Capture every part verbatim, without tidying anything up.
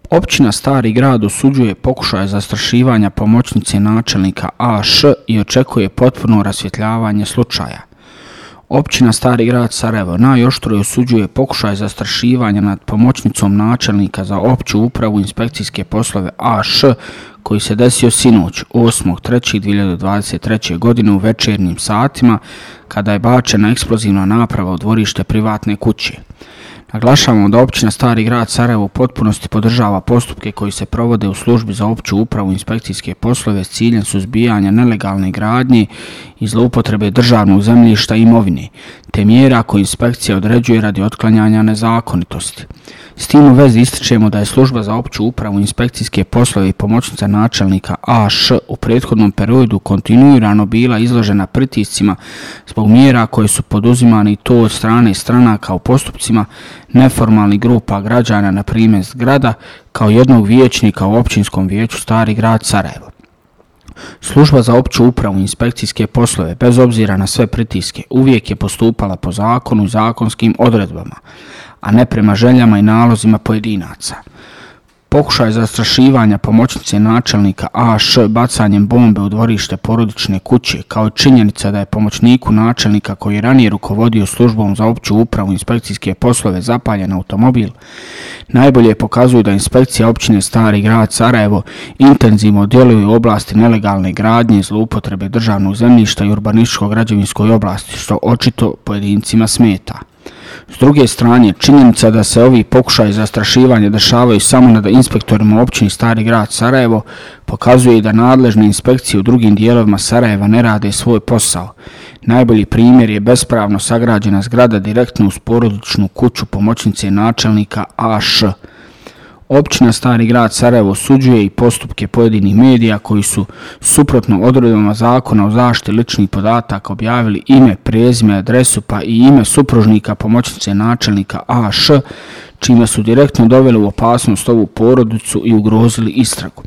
Općina Stari Grad osuđuje pokušaj zastrašivanja pomoćnice načelnika A Š i očekuje potpuno rasvjetljavanje slučaja. Općina Stari Grad Sarajevo najoštrije osuđuje pokušaj zastrašivanja nad pomoćnicom načelnika za opću upravu inspekcijske poslove A Š koji se desio sinoć osmog trećeg dvije hiljade dvadeset treće. godine u večernjim satima kada je bačena eksplozivna naprava u dvorište privatne kuće. Naglašavamo da općina Stari Grad Sarajevo u potpunosti podržava postupke koji se provode u službi za opću upravu inspekcijske poslove s ciljem suzbijanja nelegalne gradnje i zloupotrebe državnog zemljišta i imovine, te mjera koje inspekcija određuje radi otklanjanja nezakonitosti. S tim u vezi ističemo da je služba za opću upravu inspekcijske poslove i pomoćnica načelnika A Š u prethodnom periodu kontinuirano bila izložena pritiscima zbog mjera koje su poduzimane i to od strane stranaka u postupcima neformalnih grupa građana, na primjer zgrada, kao jednog vijećnika u općinskom vijeću Stari Grad Sarajevo. Služba za opću upravu inspekcijske poslove, bez obzira na sve pritiske, uvijek je postupala po zakonu i zakonskim odredbama, a ne prema željama i nalozima pojedinaca. Pokušaj zastrašivanja pomoćnice načelnika A Š bacanjem bombe u dvorište porodične kuće, kao i činjenica da je pomoćniku načelnika koji je ranije rukovodio službom za opću upravu inspekcijske poslove zapaljen automobil, najbolje pokazuju da inspekcija općine Stari Grad Sarajevo intenzivno djeluje u oblasti nelegalne gradnje, zloupotrebe državnog zemljišta i urbanističko-građevinskoj oblasti, što očito pojedincima smeta. S druge strane, činjenica da se ovi pokušaji zastrašivanja dešavaju samo nad inspektorima općine Stari Grad Sarajevo pokazuje da nadležne inspekcije u drugim dijelovima Sarajeva ne rade svoj posao. Najbolji primjer je bespravno sagrađena zgrada direktno uz porodičnu kuću pomoćnice načelnika A Š. Općina Stari Grad Sarajevo osuđuje i postupke pojedinih medija koji su suprotno odredbama zakona o zaštiti ličnih podataka objavili ime, prezime, adresu pa i ime supružnika pomoćnice načelnika A Š, čime su direktno doveli u opasnost ovu porodicu i ugrozili istragu.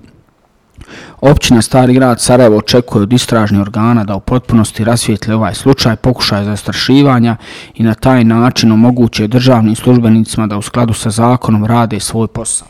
Općina Stari Grad Sarajevo očekuje od istražnih organa da u potpunosti rasvijetle ovaj slučaj pokušaja zastrašivanja i na taj način omoguće državnim službenicima da u skladu sa zakonom rade svoj posao.